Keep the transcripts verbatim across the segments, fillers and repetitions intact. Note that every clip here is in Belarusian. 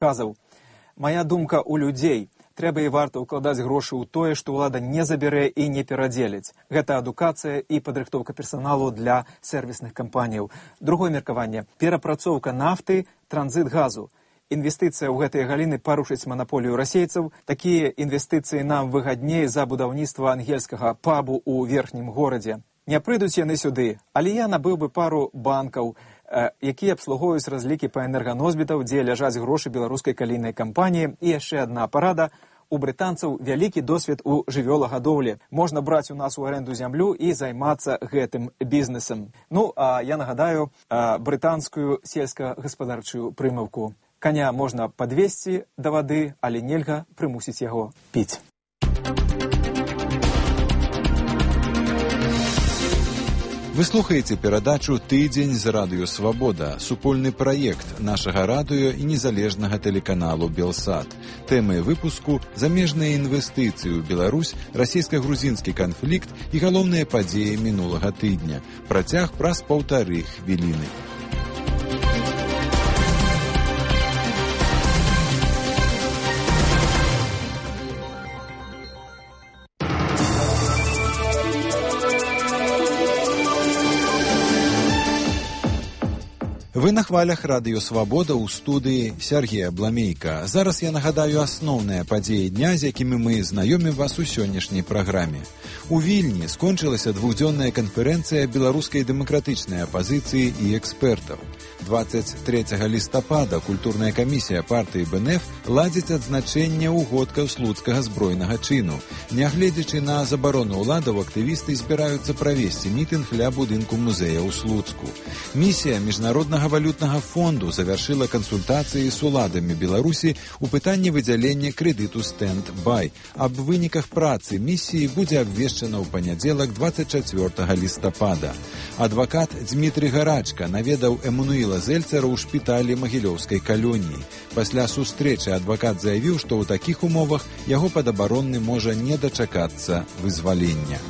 Казаў: «Мая думка ў людзей. Трэба і варта ўкладаць грошы ў тое, што ўлада не забярэ і не перадзеліць. Гэта адукацыя і падрыхтоўка персаналу для сервісных кампаніяў. Другое меркаванне – перапрацоўка нафты, транзіт газу. Інвестыцыя ў гэтыя галіны парушыць манаполію расейцаў. Такія інвестыцыі нам выгадней за будаўніцтва ангельскага пабу ў верхнім горадзе. Не прыйдуць яны сюды, але я набыў бы пару банкаў, якія абслугоўваюць разлікі па энерганосьбітаў, дзе ляжаць грошы беларускай калійнай кампаніі. І яшчэ адна парада. У брытанцаў вялікі досвед у жывёлагадоўлі. Можна браць у нас у аренду зямлю і займацца гэтым бізнесам». Ну, а я нагадаю брытанскую сельскагаспадарчую прымаўку. Каня можна падвесці да вады, але нельга прымусіць яго піць. Вы слухаеце перадачу «Тыдзень з радыё Свабода», супольны праект нашага радыё і незалежнага тэлеканалу «Белсат». Тэмы выпуску – замежныя інвестыцыі ў Беларусь, расійска-грузінскі канфлікт і галоўныя падзеі мінулага тыдня. Працяг праз паўтары хвіліны. Вы на хвалях радыё Свабода ў студыі Сергея Бламейка. Зараз я нагадаю асноўныя падзеі дня, з якімі мы знаёмім вас у сённяшняй праграме. У Вільні скончылася двухдзённая канферэнцыя беларускай дэмакратычнай апазіцыі і экспертаў. дваццаць трэцяга лістапада культурная камісія партыі БНФ ладзіць адзначэнне ўгодкаў слуцкага збройнага чыну. Нягледзячы на забарону ўладаў, актывісты збіраюцца правесці мітынг ля будынку музея ў Слуцку. Місія міжнароднага валютнага фонду завяршыла кансультацыі з уладамі Беларусі ў пытанні выдзялення крэдыту «Стэнд-бай». Аб выніках працы місіі будзе абвешчана ў панядзелак дваццаць чацвёртага лістапада. Адвакат Дзмітрый Гарачка наведаў Эммануіла Зельцера ў шпіталі Магілёўскай калоніі. Пасля сустрэчы адвакат заявіў, што ў такіх умовах яго падабаронны можа не дачакацца вызвалення.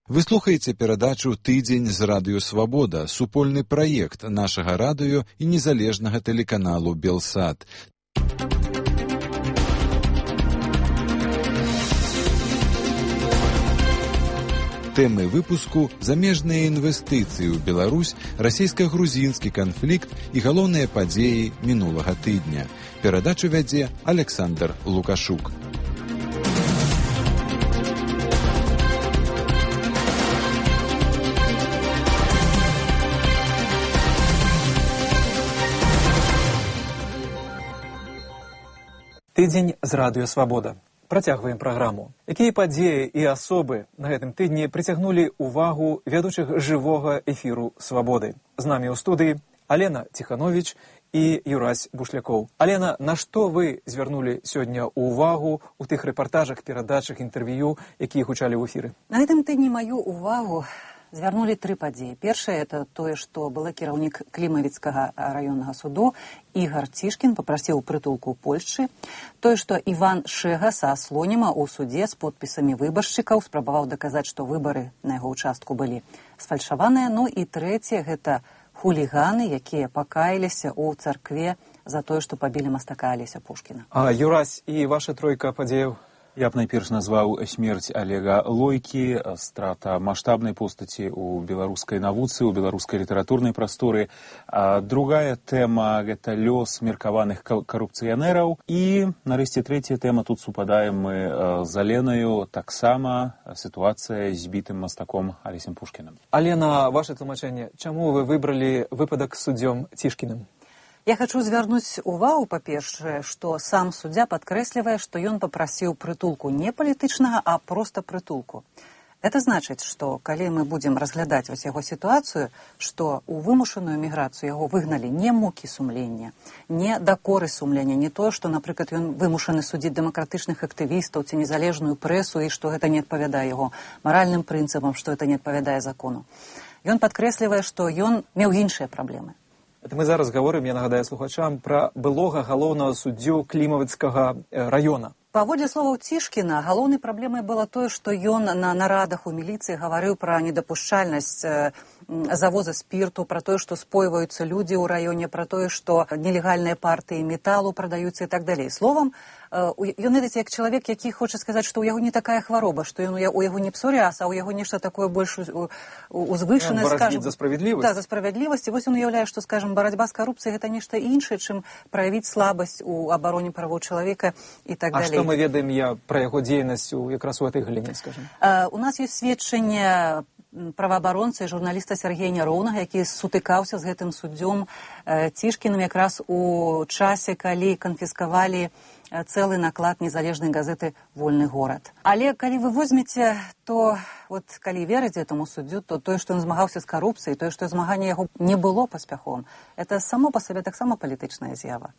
Вы слухаеце перадачу «Тыдзень з радыё Свабода», супольны праект нашага радыё і незалежнага тэлеканалу «Белсат». Тэмы выпуску – замежныя інвестыцыі ў Беларусь, расійска-грузінскі канфлікт і галоўныя падзеі мінулага тыдня. Перадачу вядзе Александр Лукашук. Тыдзень з радыё Свабода. Працягваем праграму. Якія падзеі і асобы на гэтым тыдні прыцягнулі ўвагу вядучых жывога эфіру «Свабоды». З намі ў студыі Алена Ціхановіч і Юрась Бушлякоў. Алена, на што вы звярнулі сёння ўвагу ў тых рэпартажах, перадачах, інтэрв'ю, якія гучалі ў эфіры? На гэтым тыдні маю ўвагу звярнулі тры падзеі. Першае – это тое, што былы кіраўнік Клімавіцкага раённага суду Ігар Цішкін папрасіў прытулку ў Польшчы. Тое, што Іван Шэга са Слоніма ў судзе з подпісамі выбаршчыкаў спрабаваў даказаць, што выбары на яго ўчастку былі сфальшаваныя. Ну і трэцяе – гэта хуліганы, якія пакаяліся ў царкве за тое, што пабілі мастака Алеся Пушкіна. А Юрась і ваша тройка падзеяў? Я б найперш назваў смерць Олега Лойкі, страта маштабнай постаці ў беларускай навуцы, ў беларускай літаратурнай прасторы. А другая тэма – гэта лёс меркаваных карупцыянераў. І, нарэшце, трэцяя тэма, тут супадаем мы з Аленаю, таксама сітуацыя з збітым мастаком Алесем Пушкінам. Алена, ваше тлумачэнне, чаму вы выбралі выпадак з суддзём Цішкіным? Я хочу звярнуць увагу, па-першае, што сам суддзя падкрэслівае, што ён папрасіў прытулку не палітычнага, а проста прытулку. Это значыць, што калі мы будзем разглядаць вось яго сітуацыю, што ў вымушаную міграцыю яго выгналі не мукі сумлення, не дакоры сумлення, не тое, што, напрыклад, ён вымушаны судзіць дэмакратычных актывістаў ці незалежную прэсу і што гэта не адпавядае яго маральным прынцыпам, што гэта не адпавядае закону. Ён падкрэслівае, што ён меў іншыя праблемы. Это мы зараз гаворым, я нагадаю слухачам, пра былога галоўнага суддзю Клімавіцкага раёна. Паводле словаў Цішкіна, галоўнай праблемай было тое, што ён на нарадах у міліцыі гаварыў пра недапушчальнасць завоза спирту, про тое, што спойваюцца людзі ў раёне, про тое, што нелегальныя партыі металу прадаюцца і так далей. Словам, ён, ведаеце, як чалавек, які хоча сказаць, што ў яго не такая хвароба, што ён, у яго не псоріаз, а ў яго нешта такое больш узвышанае, скажем. За справядлівасць. Так, за справядлівасць. І вось ён уяўляе, што, скажем, барацьба з карупцыяй гэта нешта іншае, чым праявіць слабасць у абароне правоў чалавека і так далей. А што мы ведаем я пра яго дзейнасць якраз у этой галіне, скажем? У нас ёсць сведчанне праваабаронца і журналіста Сергея Няроўнага, які сутыкаўся з гэтым суддзём Цішкіным якраз у часе, калі канфіскавалі цэлы наклад незалежнай газеты «Вольны горад». Але калі вы возьмеце, то вот калі верыць этому суддзю, то тое, што ён змагаўся з карупцыяй, тое, што змаганне яго не было паспяховым, это само па сабе таксама палітычная з'ява.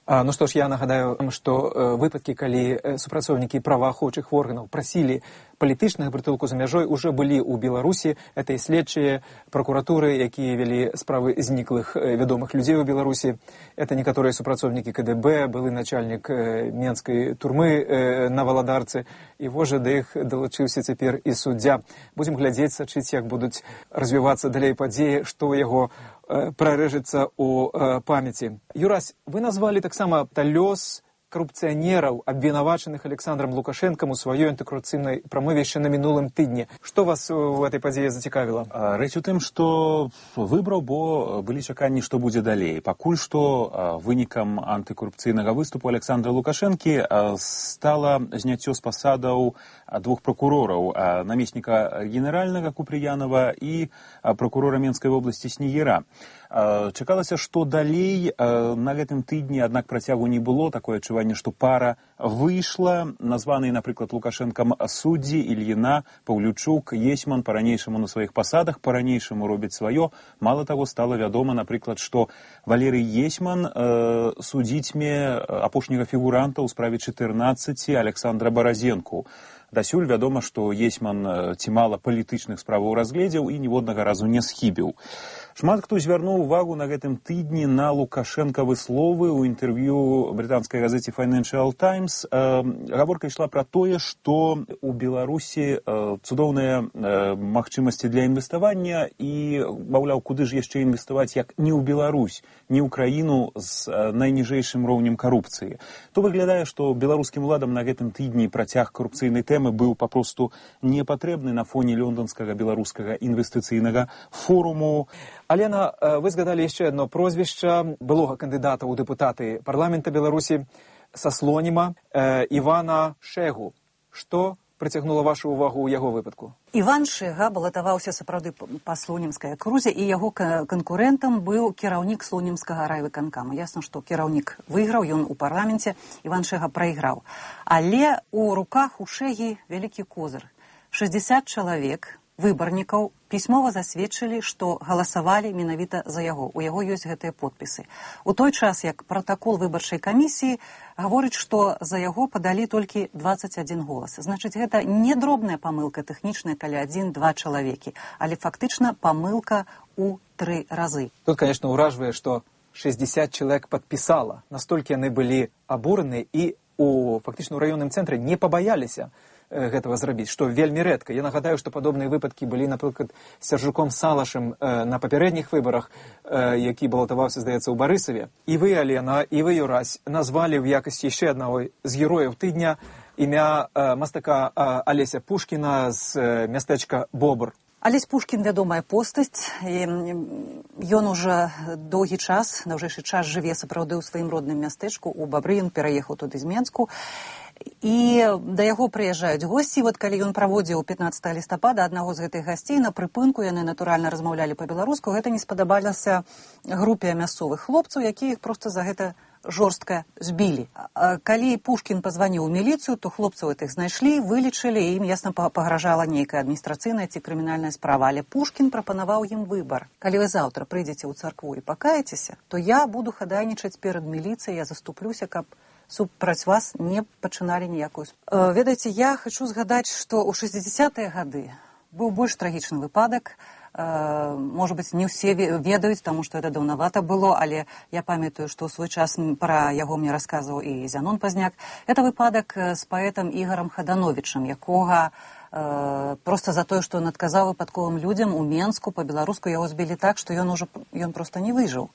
А, ну што ж, я нагадаю, што э, выпадкі, калі э, супрацоўнікі праваахоўчых органаў прасілі палітычнага прытулку за мяжой, уже былі ў Беларусі. Это і следчыя пракуратуры, якія вялі справы зніклых э, вядомых людзей у Беларусі. Это некаторыя супрацоўнікі ка дэ бэ, былы начальнік э, менскай турмы э, на Валадарцы. І вожа да іх далучыўся цяпер і суддзя. Будзем глядзець, сачыць, як будуць развівацца далей падзеі, што ў яго прарэжецца ў памяці. Юрась, вы назвалі таксама лёс коррупционеров, обвинуваченных Александром Лукашенком у своей антикоррупционной промове еще на минулом тыдне. Что вас в этой подзее зацікавило? Рэч у тым, што выбраў, бо былі чаканні, што будзе далей. Пакуль што вынікам антыкорупцыйнага выступу Александра Лукашэнкі стала зняццё з пасадаў двух прокурораў, намесніка генеральнага Купрыянова і прокурора Менскай вобласці Снегіра. Чакалася, што далей на гэтым тыдні, аднак працягу не было, такое адчуванне, што пара выйшла. Названыя, напрыклад, Лукашэнкам суддзі Ільіна, Паўлючук, Есьман па-ранейшаму на сваіх пасадах, па-ранейшаму робяць сваё. Мала таго, стала вядома, напрыклад, што Валерый Есьман э, судзіцьме апошняга фігуранта ў справе чатырнаццаці Александра Баразенку. Дасюль вядома, што Есьман ці мала палітычных справаў разгледзеў і ніводнага разу не схібіў. Шмат хто звярнуў увагу на гэтым тыдні на лукашэнкавы словы ў інтэрв'ю брытанскай газеце Financial Times. Гаворка ішла пра тое, што у Беларусі цудоўныя магчымасці для інвеставання і, маўляў, куды ж яшчэ інвеставаць, як не ў Беларусь, не ў краіну з найніжэйшым роўнем карупцыі. То выглядае, што беларускім уладам на гэтым тыдні працяг карупцыйнай тэмы быў папросту непатрэбны на фоне лёнданскага беларускага інвестыцыйнага форуму. Алена, вы згадалі яшчэ одно прозвішча былога кандыдата ў дэпутаты парламента Беларусі са слоніма Івана Шэгу. Што прыцягнула вашу увагу ў яго выпадку? Іван Шэга балатаваўся сапраўды па слонімскай акрузе, і яго канкурэнтам быў кіраўнік слонімскага райвыканкама. Ясна, што кіраўнік выйграў, ён у парламенце, Іван Шэга прайграў. Але у руках у Шэгі вялікі козыр. шэсцьдзесят чалавек выбарнікаў пісьмова засведчылі, што галасавалі менавіта за яго. У яго ёсць гэтыя подпісы. У той час, як пратакол выбарчай камісіі гаворыць, што за яго падалі толькі дваццаць адзін голас. Значыць, гэта не дробная памылка тэхнічная, калі адзін-два чалавекі, але фактычна памылка ў тры разы. Тут, конечно, уражвае, што шэсцьдзесят чалавек падпісала. Настолькі яны былі абураны і у фактычна ў раённым цэнтры не пабаяліся гэтага зрабіць, што вельмі рэдка. Я нагадаю, што падобныя выпадкі былі, напрыклад, з Сяржуком Салашым э, на папярэдніх выбарах, э, які балатаваўся, здаецца, ў Барысаве. І вы, Алена, і вы, Юрась, назвалі ў якасці яшчэ аднаго з герояў тыдня імя э, мастака э, Алеся Пушкіна з э, мястэчка Бобр. Алесь Пушкін вядомая постаць, ён уже доўгі час, даўжэйшы час жыве сапраўды ў сваім родным мястэчку, у Бабры, ён пераехаў туды з Менску, і да яго прыязджаюць госці. Вот калі ён праводзіў пятнаццатага лістапада аднаго з гэтых гасцей на прыпынку, яны натуральна размаўлялі па-беларуску, гэта не спадабалася групе мясцовых хлопцаў, якія іх проста за гэта жорстка збілі. Калі Пушкін пазваніў у міліцыю, то хлопцаў гэтых знайшлі, вылічылі, і ім ясна пагражала нейкая адміністрацыйная ці крымінальная справа. Але Пушкін прапанаваў ім выбар. Калі вы заўтра прыйдзеце ў царкву і пакаецеся, то я буду хадайнічаць перад міліцыяй, я заступлюся, каб супраць вас не пачыналі ніякую справу. Ведаеце, я хачу згадаць, што ў шэсцьдзесятыя гады быў больш трагічны выпадак. Может быть, не ўсе ведаюць, таму што это даўнавата было, але я памятаю, што ў свой час пра яго мне расказваў і Зянон Пазняк. Это выпадак з паэтам Ігарам Хадановічам, якога э, проста за тое, што ён адказаў выпадковым людзям у Менску па-беларуску, яго збілі так, што ён ужо ён проста не выжыў.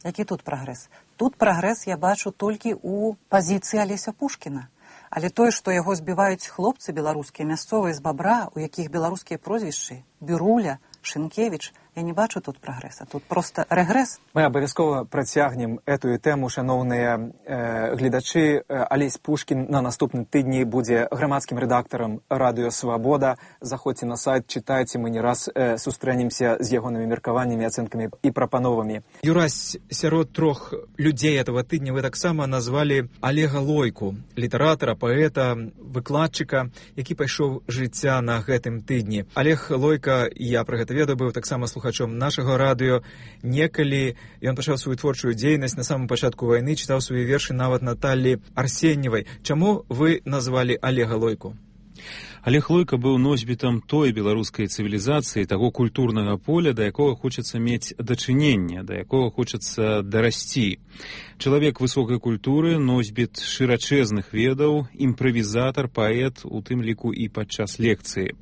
Які тут прагрэс? Тут прагрэс я бачу толькі ў пазіцыі Алеся Пушкіна. Але тое, што яго збіваюць хлопцы беларускія, мясцовыя з Бабра, у якіх беларускія прозвішчы, Біруля, Шынкевіч, я не бачу тут прагрэса, тут проста рэгрэс. Мы абавязкова працягнем этую тэму, шаноўныя э, гледачы. Алесь Пушкін на наступным тыдні будзе грамадскім рэдактарам радыё «Свабода». Заходзьце на сайт, чытайце, мы не раз э, сустрэнемся з ягонымі меркаваннямі, ацэнкамі і прапановамі. Юрась, сярод трох людзей этого тыдня вы таксама назвалі Олега Лойку, літаратара, паэта, выкладчыка, які пайшоў жыцця на гэтым тыдні. Олег Лойка, я пра гэта ведаю, быў таксама слухачом нашага радыё. Некалі ён пачаў сваю творчую дзейнасць на самым пачатку вайны, чытаў свае вершы нават Наталлі Арсеньевай. Чаму вы назвалі Олега Лойку? Олег Лойка быў носьбітам той беларускай цывілізацыі, таго культурнага поля, да якога хочацца мець дачыненне, да якога хочацца дарасці. Чалавек высокай культуры, носьбіт шырачэзных ведаў, імправізатар, паэт, у тым ліку і падчас лекцыі.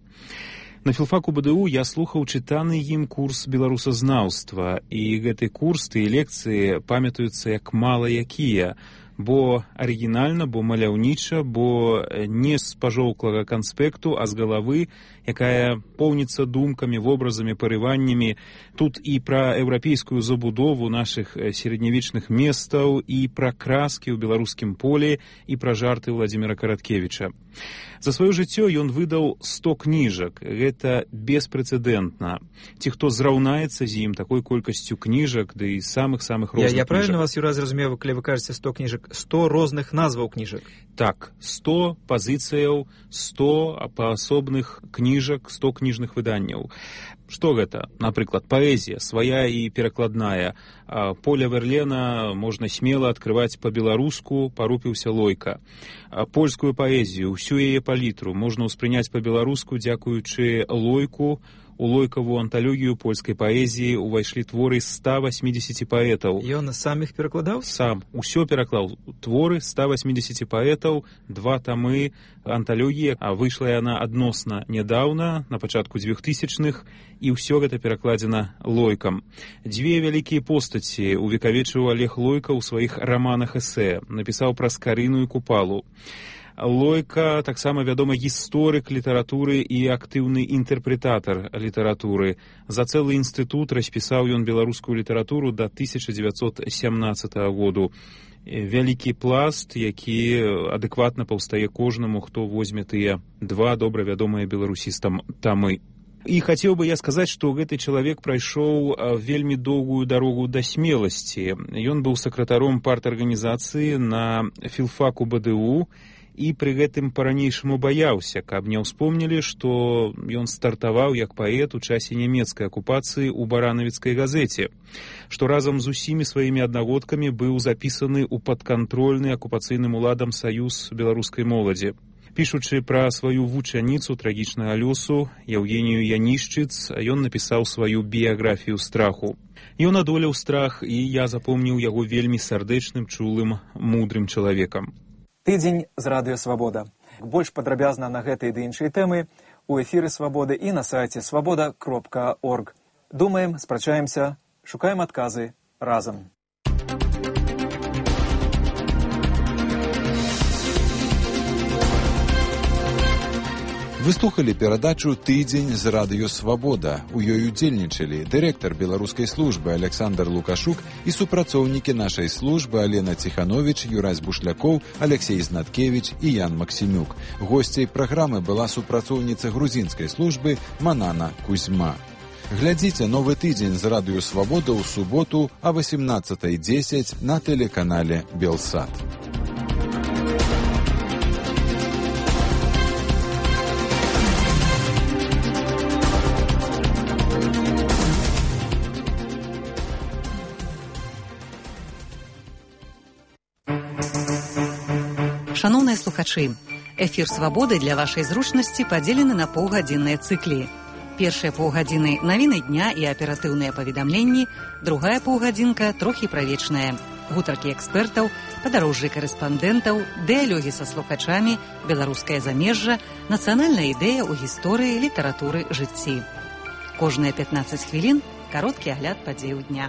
На філфаку БДУ я слухаў чытаны ім курс беларусазнаўства, і гэты курс, тыя лекцыі памятаюцца як мала якія, бо арыгінальна, бо маляўніча, бо не з пажоўклага канспекту, а з галавы, якая поўніцца думкамі, вобразамі, парываннямі. Тут і пра еўрапейскую забудову нашых сярэднявечных месцаў, і пра краскі ў беларускім полі, і пра жарты Владзіміра Караткевіча. За сваё жыццё ён выдаў сто кніжак. Гэта беспрэцэдэнтна. Ці хто зраўнаецца з ім такой колькасцю кніжак, ды і самых-самых розных я, я правильно вас, Юра, зразумеў, калі вы кажаце сто кніжак, сто розных назваў кніжак? Так, сто пазіцыяў, сто паасобных кніжак, сто кніжных выданняў. Што гэта? Напрыклад, паэзія, свая і перакладная. Поля Верлена можна смела адкрываць па-беларуску, парупіўся Лойка. Польскую паэзію, усю яе палітру можна ўспрыняць па-беларуску, дзякуючы Лойку. У Лойкаву анталогію польскай паэзіі увайшлі творы ста восьмидесяти паэтаў. Ён сам іх перакладаў? Сам. Усё пераклаў. Творы ста восьмидесяти паэтаў, два тамы анталогіі, а выйшла яна адносна нядаўна, на пачатку двухтысячных, і ўсё гэта перакладзена Лойкам. Дзве вялікія постаці увекавечыў Олег Лойка ў сваіх раманах-эсэ. Напісаў пра Скарыну і Купалу. Лойка таксама вядомы гісторык літаратуры і актыўны інтэрпрэтатар літаратуры. За цэлы інстытут распісаў ён беларускую літаратуру да тысяча дзевяцьсот сямнаццатага году. Вялікі пласт, які адэкватна паўстае кожнаму, хто возьме тыя два добра вядомыя беларусістам тамы. І хацеў бы я сказаць, што гэты чалавек прайшоў вельмі доўгую дарогу да смеласці. Ён быў сакратаром парт-арганізацыі на філфаку БДУ, і пры гэтым па-ранейшаму баяўся, каб не ўспомнілі, што ён стартаваў як паэт у часе нямецкай акупацыі ў баранавіцкай газеце, што разам з усімі сваімі аднагодкамі быў запісаны ў падкантрольны акупацыйным уладам саюз беларускай моладзі. Пішучы пра сваю вучаніцу трагічнага лёсу, Яўгенію Янішчыц, ён напісаў сваю біяграфію страху. Ён адолеў страх, і я запомніў яго вельмі сардэчным, чулым, мудрым чалавекам. Тыдзень з радыё «Свабода». Больш падрабязна на гэтыя ды іншыя тэмы у эфіры «Свабоды» і на сайце свабода кропка орг. Думаем, спрачаемся, шукаем адказы разам. Вы слухали перадачу «Тыдзень з радыё Свабода». У ёй удзельнічалі дырэктар беларускай службы Александр Лукашук і супрацоўнікі нашай службы Алена Ціхановіч, Юрась Бушлякоў, Алексей Знаткевіч і Ян Максімюк. Госцяй праграмы была супрацоўніца грузінскай службы Манана Кузьма. Глядзіце новы тыдзень з радыё Свабода ў суботу а восемнадцатай дзесяць на тэлеканале Белсат. Шаноўныя слухачы, эфір «Свабоды» для вашай зручнасці падзелены на паўгадзінныя цыклі. Першыя паўгадзіны навіны дня і аператыўныя паведамленні, другая паўгадзінка трохі пра вечнае. Гутаркі экспертаў, падарожжы карэспандэнтаў, дыялогі са слухачамі, беларускае замежжа, нацыянальная ідэя ў гісторыі, літаратуры, жыцці. Кожныя пятнаццаць хвілін кароткі агляд падзеяў дня.